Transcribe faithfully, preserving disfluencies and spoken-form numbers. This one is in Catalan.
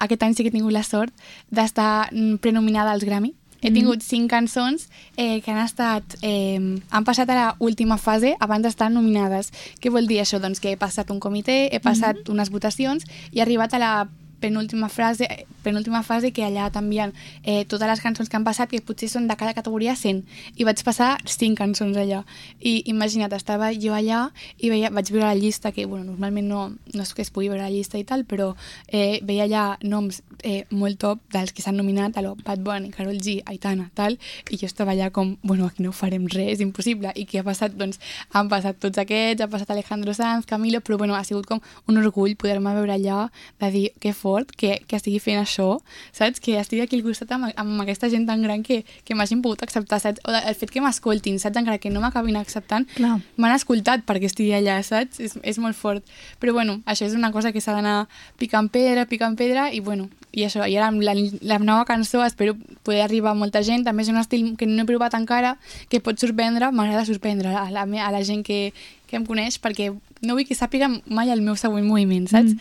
Aquest any sí que he tingut la sort d'estar prenominada als Grammy. He tingut cinc cançons eh, que han estat eh, han passat a l'última fase abans d'estar nominades. Què vol dir això? Doncs que he passat un comitè, he passat mm-hmm. unes votacions i he arribat a la penúltima fase, penúltima fase que allà t'envien eh, totes les cançons que han passat, que potser són de cada categoria cent, i vaig passar cinc cançons allà. I imagina't, estava jo allà i veia, vaig veure la llista, que bueno, normalment no, no és que es pugui veure la llista i tal, però eh, veia allà noms eh, molt top dels que s'han nominat, a lo Bad Bunny, Karol G, Aitana, tal, i jo estava allà com, bueno, aquí no farem res, és impossible. I què ha passat? Doncs han passat tots aquests, ha passat Alejandro Sanz, Camilo, però bueno, ha sigut com un orgull poder-me veure allà, de dir, que fort que, que estigui fent això, saps? Que estigui aquí al costat amb, amb aquesta gent tan gran que, que m'hagin pogut acceptar, saps? O el fet que m'escoltin, saps? Encara que no m'acabin acceptant, m'han escoltat perquè estigui allà, saps? És, és molt fort. Però bueno, això és una cosa que s'ha d'anar picant pedra, picant pedra, i bueno, i això, i ara amb la, la nova cançó espero poder arribar a molta gent. També és un estil que no he provat encara, que pot sorprendre, m'agrada sorprendre a la, a la gent que, que em coneix, perquè no vull que sàpiga mai el meu següent moviment, saps? Mm.